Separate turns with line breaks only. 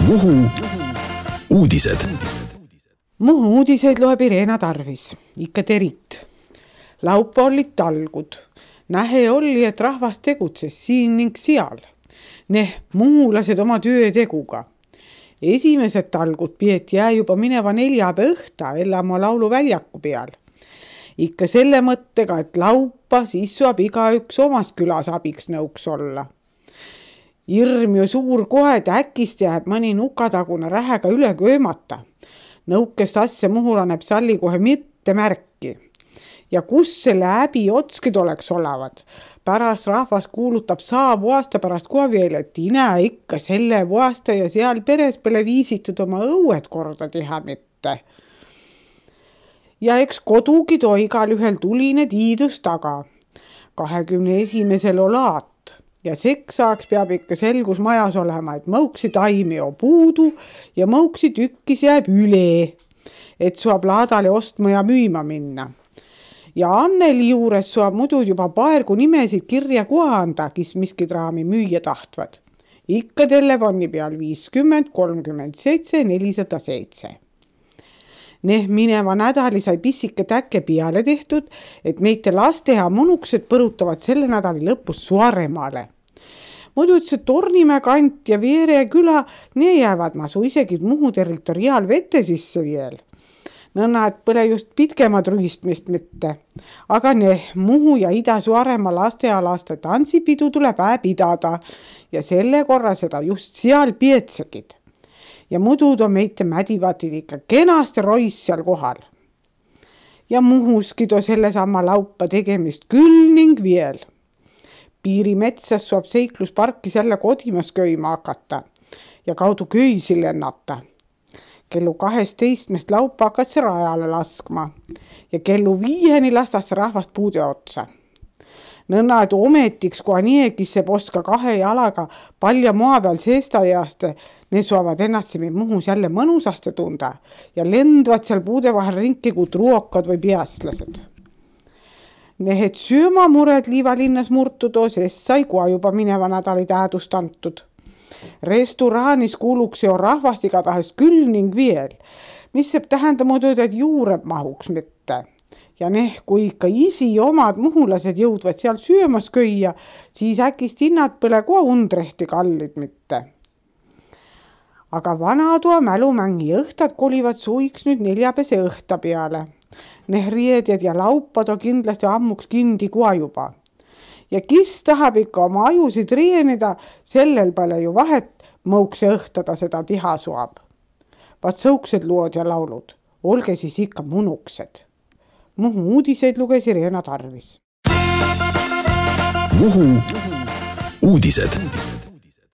Muhu uudised.
Muhu uudiseid loeb Irena Tarvis, ikka terit. Laupa olid talgud. Nähe oli, et rahvas tegutses siin ning seal. Muhulased oma töö teguga. Esimesed talgud peeti juba mineva neljapäeva õhta Ellamaa lauluväljaku peal. Ikka selle mõttega, et laupa siis saab igaüks omas külas abiks nõuks olla. Irm ju suur kohe, et äkist jääb mõni nukatagune rähega üle köömata. Nõukest asja muhulaneb salli kohe mitte märki. Ja kus selle äbi otskid oleks olevad? Pärast rahvas kuulutab saabu aasta pärast kohe veel, et ine ikka selle vuasta ja seal peres pole viisitud oma õued korda teha mitte. Ja eks kodugi too igal ühel tuline tiidus taga. 21. olaat. Ja seksaaks peab ikka selgus majas olema, et mõuksi taimi on puudu ja mõuksi tükkis jääb üle, et saab laadale ostma ja müüma minna. Ja Anneli juures saab muidu juba paergu nimesid kirja koha anda, kes miskid raami müüa tahtvad. Ikka telefoni peal 50 37 407. Mineva nädali sai pissike täkke peale tehtud, et meite lasteha monuksed põrutavad selle nädali lõpus Suaremaale. Muidu see Tornimäe kant ja Veere küla, ne jäävad masu isegi Muhu territoriaalvete sisse veel. Nõnna, et põle just pitkemad rühistmist mitte. Aga Muhu ja Ida-Suaremaa lastealaste tantsipidu tuleb pidada ja selle korra seda just seal pietsegid. Ja muidu on meite mädivatid ikka kenasti rois seal kohal. Ja Muhuski too sellesama laupa tegemist küll ning veel. Piirimetsas saab seiklusparkis jälle kodimas köima hakata ja kaudu köisi lennata. Kellu 12 laupa hakkad see rajale laskma ja kellu 5 lastas see rahvast puude otsa. Nõnna, et ometiks, kui niegis see poska 2 jalaga palja maa peal seestajaste, ne saavad ennast Muhus jälle mõnusaste tunda ja lendvad seal puude vahel ringi kui truokad või peastlased. Et söömamured Liivalinnas murtudo, sest sai kohe juba mineva nädali tähendust antud. Restoraanis kuuluks jo rahvast igatahes küll ning veel, mis saab tähenda muidu, et juureb mahuks mitte. Ja kui ikka isi omad muhulased jõudvad seal söömas köia, siis äkist hinnad põle kohe undrehti kallid mitte. Aga vanatoa mälumängi õhtad kolivad suiks nüüd neljapäeva õhta peale. Riedjad ja laupad on kindlasti ammuks kindi kohe juba. Ja kes tahab ikka oma ajusid reenida, sellel pole ju vahet, mõukse õhtada seda tiha suab. Vaat sõuksed lood ja laulud, olge siis ikka munuksed. Muhu uudiseid luges Irena Tarvis.
Muhu uudised.